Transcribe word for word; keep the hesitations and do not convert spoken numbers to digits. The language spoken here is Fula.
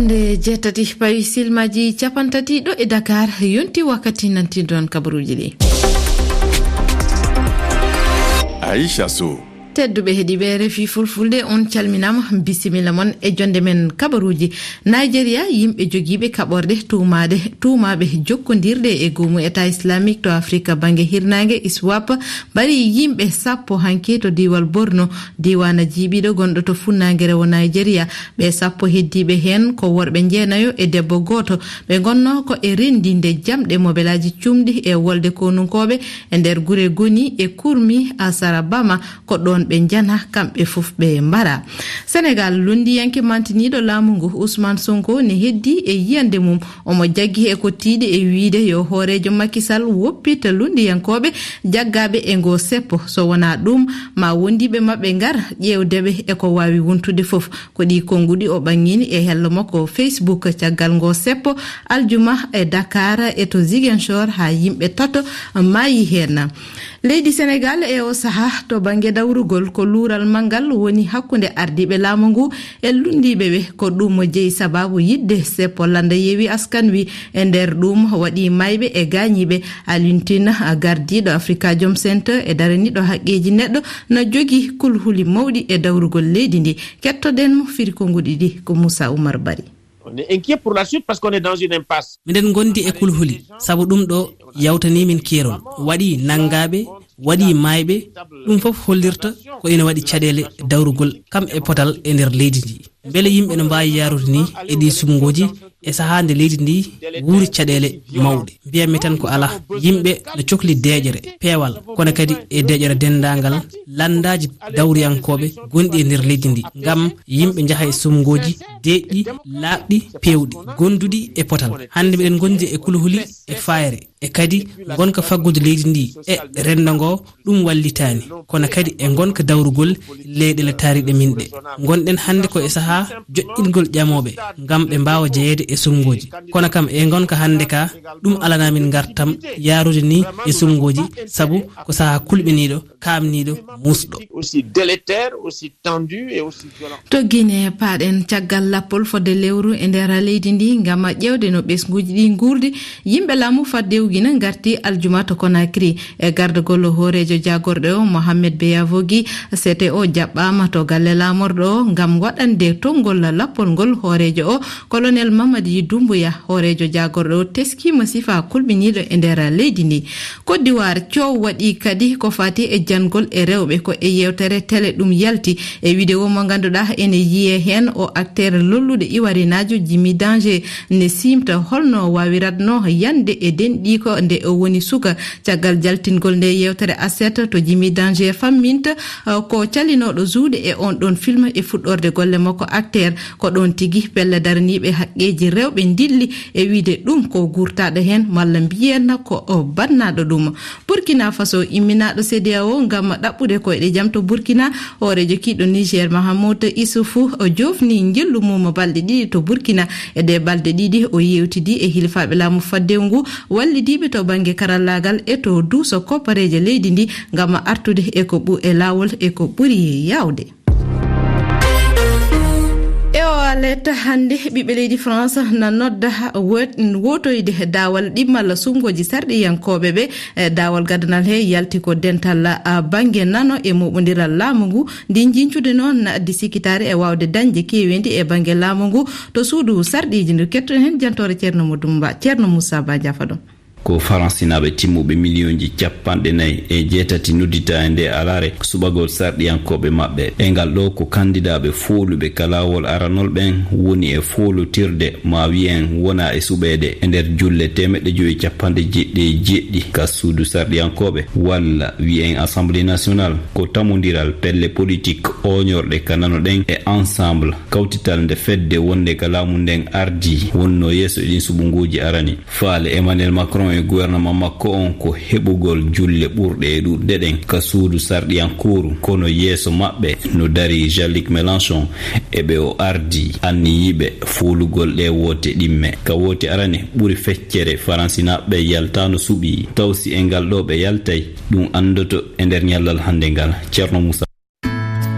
Nde jeetati pawi silmaaji capanɗe tati ɗo e Dakar, yonti wakkati nantinɗon kabaruuji ɗi. Aisha Sow. Tedduɓe heɗiiɓe R F I Fulfulde, on calminaama, bisimilla mon e jonde men kabaruuji. Nigeria, yimɓe jogiiɓe kaɓorɗe tuumaade, tuumaaɓe jokkondirde e goomu État Islamique to Afrika bannge hirnaange, iswap, mbari yimɓe sappo hanki to diiwal Borno, diiwaana jiiɓiiɗo gonɗo to funnaange rewo Nigeria. Ɓe sappo heddiiɓe heen ko worɓe njeenayo e debbo gooto. Ɓe ngonnoo ko e renndinde jamɗe mobelaaji cuumɗi e wolde konunkooɓe e nder gure Goni e Kurmi Asarabama, ko ɗoon ɓe njana, kamɓe fof ɓe mbara. Senegal, lunndiyanke mantiniiɗo laamu ngu, Ousmane Sonko, ne heddi e yiyannde mum. Omo jaggi e ko tiiɗi e wiyde yo hooreejo Macky Sall woppita lunndiyankooɓe jaggaaɓe e ngoo seppo. So wonaa ɗum, ma wondiiɓe maɓɓe ngar ƴeewde ɓe e ko waawi wontude fof. Ko ɗii konnguɗi o ɓanngini e hello makko Facebook caggal ngoo seppo, aljuma, e Dakar e to Ziguinchor, haa yimɓe tato maayi heen. Leydi Senegal e o sahaa to bannge dawrugol, ko luural manngal woni hakkunde ardiiɓe laamu ngu e lunndiiɓe ɓe. Ko ɗum jeyi sabaabu yiɗde seppo lannda Yewi Askan Wi. E nder ɗum waɗi maayɓe e gaañiiɓe. Alioune Tine, gardiiɗo Afrikajom Center e daraniiɗo haqqeeji neɗɗo, na jogii kulhuli mawɗi e dawrugol leydi ndi. Kettoɗen mo, firi konnguɗi ɗi ko Moussa Oumar Bari. On est inquiet pour la suite parce qu'on est dans une impasse. Miɗen ngondi e kulhuli, sabu ɗum ɗo yawtanii min keerol. Waɗi nanngaaɓe, waɗi maayɓe, ɗum fof hollirta ko ina waɗi caɗeele dawrugol kam e potal e nder leydi ndi. Mbele yimɓe no mbaawi yaarude ni e ɗi suɓngooji e sahaa nde leydi ndi wuuri caɗeele mawɗe? Mbiyanmi tan ko alaa. Yimɓe no cokli deeƴere, peewal, kono kadi e deeƴere denndaangal lanndaaji dawriyankooɓe gonɗi e nder leydi ndi, ngam yimɓe njaha e suɓngooji deeƴɗi, laaɓɗi, peewɗi, gonduɗi e potal. Hannde miɗen ngondi e kulhuli e faayre, e kadi ngonka faggudu leydi ndi e renndo ngo, ɗum wallitaani. Kono kadi e ngonka dawrugol leyɗeele taariiɗe min ɗe. Ngonɗen hannde ko e sahaa joƴƴingol ƴamooɓe ngam ɓe mbaawa jeyeede e suɓngooji. Kono kam e ngonka hannde ka, ɗum alanaa min ngartam yaarude ni e suɓngooji, sabu ko sahaa kulɓiniiɗo, kaamniiɗo, muusɗo. Aussi délétère, aussi tendu et aussi violent. To Guinée, paaɗen caggal lappol fodde lewru e nder leydi ndi ngam ƴeewde no ɓesnguuji ɗi nguurdi. Yimɓe laamu faddewu Guinée ngarti aljuma to Conakry e gardagol hooreejo jaagorɗe o, Mohamed Beyavogi. C T O jaɓɓaama to galle laamorɗo o ngam waɗande tonngol lappol ngol hooreejo o, Colonel Mamadi Doumbouya. Hooreejo jaagorɗo o teskiima sifaa kulɓiniiɗo e nder leydi ndi. Côte d'Ivoire, coow waɗi kadi ko faati e janngol e rewɓe. Ko e yeewtere tele ɗum yalti, e vidéo mo ngannduɗaa ene yiyee heen o acteur lolluɗo ivoirinaajo Jimmy Danger ne siimta holno o waawiratnoo yande e denɗiiko nde o woni suka. Caggal jaltingol nde yeewtere aset to Jimmy Danger famminta, eh, ko calinooɗo juuɗe e on ɗon film e fuɗɗorde golle makko acteur. Ko ɗoon tigi pelle daraniiɓe haqqeeji rewɓe ndilli e wiyde ɗum ko guurtaaɗo heen, malla mbiyen ko o bannaaɗo ɗum. Burkina Faso, imminaaɗo C D A O ngam ɗaɓɓude koyɗe jam to Burkina, hooreejo kiiɗo Niger, Mahamoud Issoufou, o joofni njillu mum balɗe ɗiɗi to Burkina. E ɗee balɗe ɗiɗi, o yeewtidi e hilifaaɓe laamu faddewu ngu, wallidiiɓe to bannge karallaagal e to duuso koppareeje leydi ndi ngam artude e ko ɓu-, e laawol e ko ɓuri yaawde. E o alerte hannde, ɓiɓɓe leydi France na nodda wo-, wotoyde daawal ɗimmal suɓngooji sarɗiyankooɓe ɓe. E daawal gadanal he yalti ko dental, a, bannge nano e moɓondiral laamu ngu. Ndi njiñcude noon na addi sikkitaare e waawde dañde keeweendi e bannge laamu ngu to suudu sarɗiiji ndu. Kettoɗen heen jantoore Ceerno Modou Mba, Ceerno Moussa Ba, jaafa ɗum. Ko Faransinaaɓe timmuɓe miliyonji capanɗe nayi e jeetati nodditaa e nde alaare suɓagol sarɗiyankooɓe maɓɓe. E ngal ɗo ko kandidaaɓe fooluɓe ka laawol aranol ɓen woni e foolutirde, ma wiyen wona e suɓeede e nder julle teemeɗɗe jowi capanɗe jeeɗiɗi e jeeɗiɗi ka suudu sarɗiyankooɓe, walla wiyen Assemblée nationale. Ko tamondiral pelle politik ooñorɗe ka nano ɗen e Ensemble, kawtital nde fedde wonde ka laamu nden ardii, wonnoo yeeso e ɗin suɓngooji arani. Faale Emmanuel Macron e gouvernement makko on ko heɓugol julle ɓurɗe e ɗuuɗude ɗen ka suudu sarɗiyankooru, kono yeeso maɓɓe no darii Jean-Luc Mélenchon e ɓe o ardii, anniyiiɓe foolugol ɗee woote ɗimme. Ka woote arane ɓuri feccere, Faransinaaɓe yaltaano suɓii, taw si e ngal ɗo ɓe yaltay, ɗum anndoto e nder ñallal hannde ngal. Ceerno Moussa.